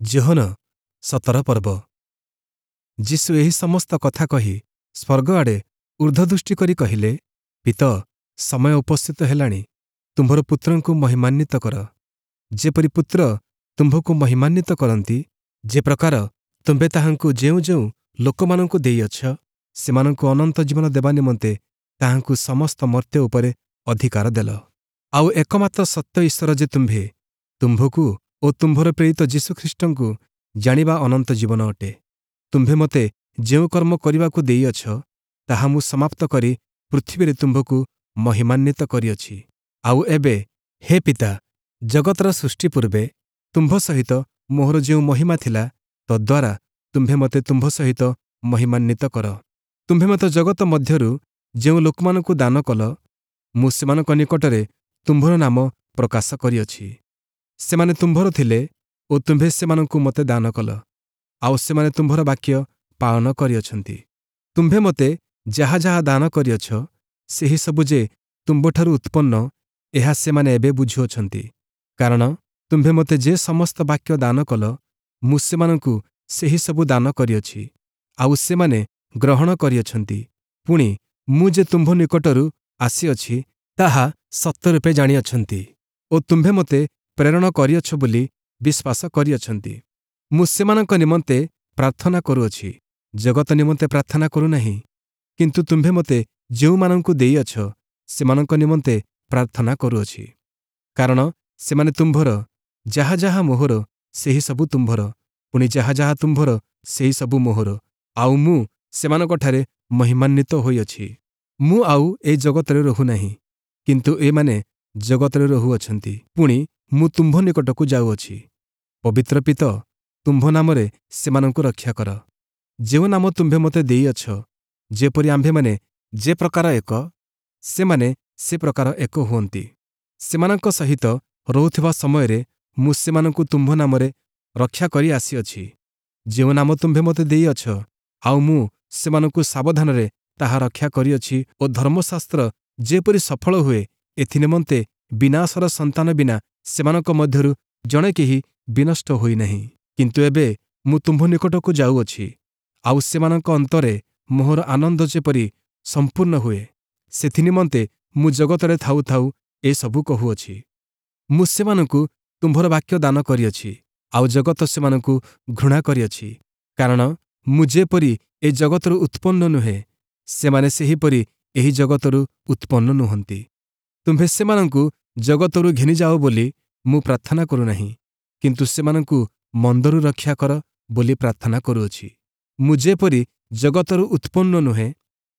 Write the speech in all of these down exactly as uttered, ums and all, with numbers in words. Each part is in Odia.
ଯୋହନ ସତର ପର୍ବ। ଯୀଶୁ ଏହି ସମସ୍ତ କଥା କହି ସ୍ୱର୍ଗ ଆଡ଼େ ଊର୍ଦ୍ଧ୍ୱଦୃଷ୍ଟି କରି କହିଲେ, ପିତ, ସମୟ ଉପସ୍ଥିତ ହେଲାଣି, ତୁମ୍ଭର ପୁତ୍ରଙ୍କୁ ମହିମାନ୍ୱିତ କର, ଯେପରି ପୁତ୍ର ତୁମ୍ଭକୁ ମହିମାନ୍ୱିତ କରନ୍ତି। ଯେ ପ୍ରକାର ତୁମ୍ଭେ ତାହାଙ୍କୁ ଯେଉଁ ଯେଉଁ ଲୋକମାନଙ୍କୁ ଦେଇଅଛ, ସେମାନଙ୍କୁ ଅନନ୍ତ ଜୀବନ ଦେବା ନିମନ୍ତେ ତାହାଙ୍କୁ ସମସ୍ତ ମର୍ତ୍ତ୍ୟ ଉପରେ ଅଧିକାର ଦେଲ। ଆଉ ଏକମାତ୍ର ସତ୍ୟ ଈଶ୍ୱର ଯେ ତୁମ୍ଭେ, ତୁମ୍ଭକୁ ଓ ତୁମ୍ଭର ପ୍ରେରିତ ଯୀଶୁଖ୍ରୀଷ୍ଟଙ୍କୁ ଜାଣିବା ଅନନ୍ତ ଜୀବନ ଅଟେ। ତୁମ୍ଭେ ମୋତେ ଯେଉଁ କର୍ମ କରିବାକୁ ଦେଇଅଛ, ତାହା ମୁଁ ସମାପ୍ତ କରି ପୃଥିବୀରେ ତୁମ୍ଭକୁ ମହିମାନ୍ୱିତ କରିଅଛି। ଆଉ ଏବେ ହେ ପିତା, ଜଗତର ସୃଷ୍ଟି ପୂର୍ବେ ତୁମ୍ଭ ସହିତ ମୋହର ଯେଉଁ ମହିମା ଥିଲା, ତଦ୍ୱାରା ତୁମ୍ଭେ ମୋତେ ତୁମ୍ଭ ସହିତ ମହିମାନ୍ୱିତ କର। ତୁମ୍ଭେ ମୋତେ ଜଗତ ମଧ୍ୟରୁ ଯେଉଁ ଲୋକମାନଙ୍କୁ ଦାନ କଲ, ମୁଁ ସେମାନଙ୍କ ନିକଟରେ ତୁମ୍ଭର ନାମ ପ୍ରକାଶ କରିଅଛି। ସେମାନେ ତୁମ୍ଭର ଥିଲେ ଓ ତୁମ୍ଭେ ସେମାନଙ୍କୁ ମୋତେ ଦାନ କଲ, ଆଉ ସେମାନେ ତୁମ୍ଭର ବାକ୍ୟ ପାଳନ କରିଅଛନ୍ତି। ତୁମ୍ଭେ ମୋତେ ଯାହା ଯାହା ଦାନ କରିଅଛ, ସେହି ସବୁ ଯେ ତୁମ୍ଭଠାରୁ ଉତ୍ପନ୍ନ, ଏହା ସେମାନେ ଏବେ ବୁଝୁଅଛନ୍ତି। କାରଣ ତୁମ୍ଭେ ମୋତେ ଯେ ସମସ୍ତ ବାକ୍ୟ ଦାନ କଲ, ମୁଁ ସେମାନଙ୍କୁ ସେହି ସବୁ ଦାନ କରିଅଛି, ଆଉ ସେମାନେ ଗ୍ରହଣ କରିଅଛନ୍ତି। ପୁଣି ମୁଁ ଯେ ତୁମ୍ଭ ନିକଟରୁ ଆସିଅଛି, ତାହା ସତ୍ୟରୂପେ ଜାଣିଅଛନ୍ତି ଓ ତୁମ୍ଭେ ମୋତେ ପ୍ରେରଣ କରିଅଛ ବୋଲି ବିଶ୍ୱାସ କରିଅଛନ୍ତି। ମୁଁ ସେମାନଙ୍କ ନିମନ୍ତେ ପ୍ରାର୍ଥନା କରୁଅଛି, ଜଗତ ନିମନ୍ତେ ପ୍ରାର୍ଥନା କରୁନାହିଁ, କିନ୍ତୁ ତୁମ୍ଭେ ମୋତେ ଯେଉଁମାନଙ୍କୁ ଦେଇଅଛ, ସେମାନଙ୍କ ନିମନ୍ତେ ପ୍ରାର୍ଥନା କରୁଅଛି। କାରଣ ସେମାନେ ତୁମ୍ଭର, ଯାହା ଯାହା ମୋହର ସେହି ସବୁ ତୁମ୍ଭର, ପୁଣି ଯାହା ଯାହା ତୁମ୍ଭର ସେହି ସବୁ ମୋହର, ଆଉ ମୁଁ ସେମାନଙ୍କଠାରେ ମହିମାନ୍ୱିତ ହୋଇଅଛି। ମୁଁ ଆଉ ଏ ଜଗତରେ ରହୁନାହିଁ, କିନ୍ତୁ ଏମାନେ ଜଗତରେ ରହୁଅଛନ୍ତି, ପୁଣି ମୁଁ ତୁମ୍ଭ ନିକଟକୁ ଯାଉଅଛି। ପବିତ୍ର ପିତ, ତୁମ୍ଭ ନାମରେ ସେମାନଙ୍କୁ ରକ୍ଷା କର, ଯେଉଁ ନାମ ତୁମ୍ଭେ ମୋତେ ଦେଇଅଛ, ଯେପରି ଆମ୍ଭେମାନେ ଯେ ପ୍ରକାର ଏକ, ସେମାନେ ସେ ପ୍ରକାର ଏକ ହୁଅନ୍ତି। ସେମାନଙ୍କ ସହିତ ରହୁଥିବା ସମୟରେ ମୁଁ ସେମାନଙ୍କୁ ତୁମ୍ଭ ନାମରେ ରକ୍ଷା କରି ଆସିଅଛି, ଯେଉଁ ନାମ ତୁମ୍ଭେ ମୋତେ ଦେଇଅଛ, ଆଉ ମୁଁ ସେମାନଙ୍କୁ ସାବଧାନରେ ତାହା ରକ୍ଷା କରିଅଛି ଓ ଧର୍ମଶାସ୍ତ୍ର ଯେପରି ସଫଳ ହୁଏ, ଏଥିନିମନ୍ତେ ବିନାଶର ସନ୍ତାନ ବିନା ସେମାନଙ୍କ ମଧ୍ୟରୁ ଜଣେ କେହି ବିନଷ୍ଟ ହୋଇନାହିଁ। କିନ୍ତୁ ଏବେ ମୁଁ ତୁମ୍ଭ ନିକଟକୁ ଯାଉଅଛି, ଆଉ ସେମାନଙ୍କ ଅନ୍ତରେ ମୋହର ଆନନ୍ଦ ଯେପରି ସମ୍ପୂର୍ଣ୍ଣ ହୁଏ, ସେଥିନିମନ୍ତେ ମୁଁ ଜଗତରେ ଥାଉ ଥାଉ ଏସବୁ କହୁଅଛି। ମୁଁ ସେମାନଙ୍କୁ ତୁମ୍ଭର ବାକ୍ୟ ଦାନ କରିଅଛି, ଆଉ ଜଗତ ସେମାନଙ୍କୁ ଘୃଣା କରିଅଛି, କାରଣ ମୁଁ ଯେପରି ଏ ଜଗତରୁ ଉତ୍ପନ୍ନ ନୁହେଁ, ସେମାନେ ସେହିପରି ଏହି ଜଗତରୁ ଉତ୍ପନ୍ନ ନୁହନ୍ତି। ତୁମ୍ଭେ ସେମାନଙ୍କୁ ଜଗତରୁ ଘେନିଯାଅ ବୋଲି ମୁଁ ପ୍ରାର୍ଥନା କରୁନାହିଁ, କିନ୍ତୁ ସେମାନଙ୍କୁ ମନ୍ଦରୁ ରକ୍ଷା କର ବୋଲି ପ୍ରାର୍ଥନା କରୁଅଛି। ମୁଁ ଯେପରି ଜଗତରୁ ଉତ୍ପନ୍ନ ନୁହେଁ,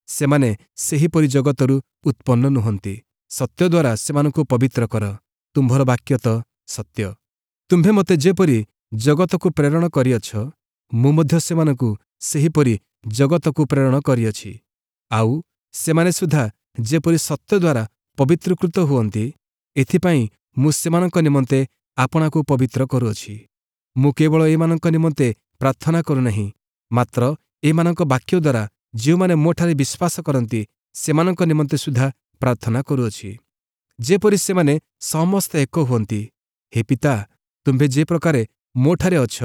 ସେମାନେ ସେହିପରି ଜଗତରୁ ଉତ୍ପନ୍ନ ନୁହନ୍ତି। ସତ୍ୟ ଦ୍ୱାରା ସେମାନଙ୍କୁ ପବିତ୍ର କର, ତୁମ୍ଭର ବାକ୍ୟ ତ ସତ୍ୟ। ତୁମ୍ଭେ ମୋତେ ଯେପରି ଜଗତକୁ ପ୍ରେରଣ କରିଅଛ, ମୁଁ ମଧ୍ୟ ସେମାନଙ୍କୁ ସେହିପରି ଜଗତକୁ ପ୍ରେରଣ କରିଅଛି। ଆଉ ସେମାନେ ସୁଦ୍ଧା ଯେପରି ସତ୍ୟ ଦ୍ୱାରା ପବିତ୍ରୀକୃତ ହୁଅନ୍ତି, ଏଥିପାଇଁ ମୁଁ ସେମାନଙ୍କ ନିମନ୍ତେ ଆପଣାକୁ ପବିତ୍ର କରୁଅଛି। ମୁଁ କେବଳ ଏମାନଙ୍କ ନିମନ୍ତେ ପ୍ରାର୍ଥନା କରୁନାହିଁ, ମାତ୍ର ଏମାନଙ୍କ ବାକ୍ୟ ଦ୍ୱାରା ଯେଉଁମାନେ ମୋଠାରେ ବିଶ୍ୱାସ କରନ୍ତି, ସେମାନଙ୍କ ନିମନ୍ତେ ସୁଦ୍ଧା ପ୍ରାର୍ଥନା କରୁଅଛି, ଯେପରି ସେମାନେ ସମସ୍ତେ ଏକ ହୁଅନ୍ତି। ହେ ପିତା, ତୁମ୍ଭେ ଯେ ପ୍ରକାରେ ମୋଠାରେ ଅଛ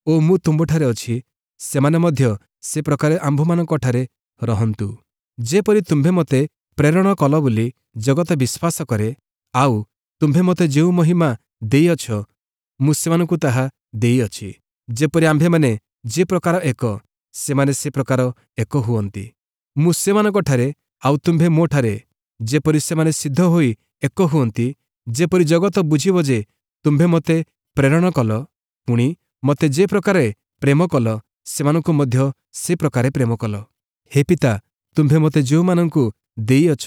ଓ ମୁଁ ତୁମ୍ଭଠାରେ ଅଛି, ସେମାନେ ମଧ୍ୟ ସେ ପ୍ରକାରେ ଆମ୍ଭମାନଙ୍କଠାରେ ରହନ୍ତୁ, ଯେପରି ତୁମ୍ଭେ ମୋତେ ପ୍ରେରଣ କଲ ବୋଲି ଜଗତ ବିଶ୍ୱାସ କରେ। ଆଉ ତୁମ୍ଭେ ମୋତେ ଯେଉଁ ମହିମା ଦେଇଅଛ, ମୁଁ ସେମାନଙ୍କୁ ତାହା ଦେଇଅଛି, ଯେପରି ଆମ୍ଭେମାନେ ଯେ ପ୍ରକାର ଏକ, ସେମାନେ ସେ ପ୍ରକାର ଏକ ହୁଅନ୍ତି। ମୁଁ ସେମାନଙ୍କଠାରେ ଆଉ ତୁମ୍ଭେ ମୋଠାରେ, ଯେପରି ସେମାନେ ସିଦ୍ଧ ହୋଇ ଏକ ହୁଅନ୍ତି, ଯେପରି ଜଗତ ବୁଝିବ ଯେ ତୁମ୍ଭେ ମୋତେ ପ୍ରେରଣ କଲ, ପୁଣି ମୋତେ ଯେ ପ୍ରକାରେ ପ୍ରେମ କଲ, ସେମାନଙ୍କୁ ମଧ୍ୟ ସେ ପ୍ରକାରେ ପ୍ରେମ କଲ। ହେ ପିତା, ତୁମ୍ଭେ ମୋତେ ଯେଉଁମାନଙ୍କୁ ଦେଇଅଛ,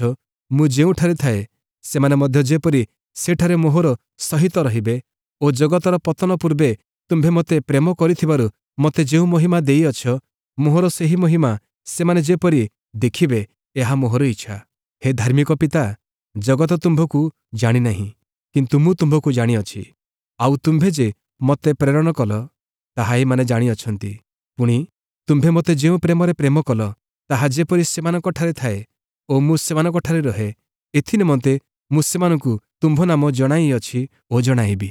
ମୁଁ ଯେଉଁଠାରେ ଥାଏ, ସେମାନେ ମଧ୍ୟ ଯେପରି ସେଠାରେ ମୋହର ସହିତ ରହିବେ ଓ ଜଗତର ପତନ ପୂର୍ବେ ତୁମ୍ଭେ ମୋତେ ପ୍ରେମ କରିଥିବାରୁ ମୋତେ ଯେଉଁ ମହିମା ଦେଇଅଛ, ମୋହର ସେହି ମହିମା ସେମାନେ ଯେପରି ଦେଖିବେ, ଏହା ମୋହର ଇଚ୍ଛା। ହେ ଧାର୍ମିକ ପିତା, ଜଗତ ତୁମ୍ଭକୁ ଜାଣିନାହିଁ, କିନ୍ତୁ ମୁଁ ତୁମ୍ଭକୁ ଜାଣିଅଛି, ଆଉ ତୁମ୍ଭେ ଯେ ମୋତେ ପ୍ରେରଣ କଲ, ତାହା ଏମାନେ ଜାଣିଅଛନ୍ତି। ପୁଣି ତୁମ୍ଭେ ମୋତେ ଯେଉଁ ପ୍ରେମରେ ପ୍ରେମ କଲ, ତାହା ଯେପରି ସେମାନଙ୍କଠାରେ ଥାଏ ଓ ମୁଁ ସେମାନଙ୍କଠାରେ ରହେ, ଏଥିନିମନ୍ତେ ମୁଁ ସେମାନଙ୍କୁ ତୁମ୍ଭ ନାମ ଜଣାଇଅଛି ଓ ଜଣାଇବି।